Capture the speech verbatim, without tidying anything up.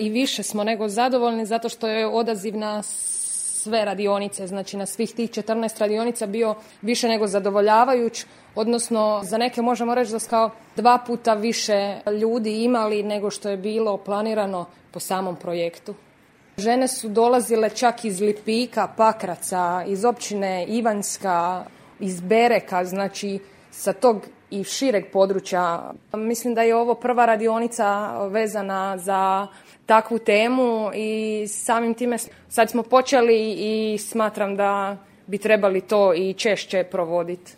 i više smo nego zadovoljni zato što je odaziv na sve radionice, znači na svih tih četrnaest radionica bio više nego zadovoljavajuć, odnosno za neke možemo reći da su kao dva puta više ljudi imali nego što je bilo planirano po samom projektu. Žene su dolazile čak iz Lipika, Pakraca, iz općine Ivanjska, iz Bereka, znači sa tog i šireg područja. Mislim da je ovo prva radionica vezana za takvu temu i samim time sad smo počeli i smatram da bi trebali to i češće provoditi.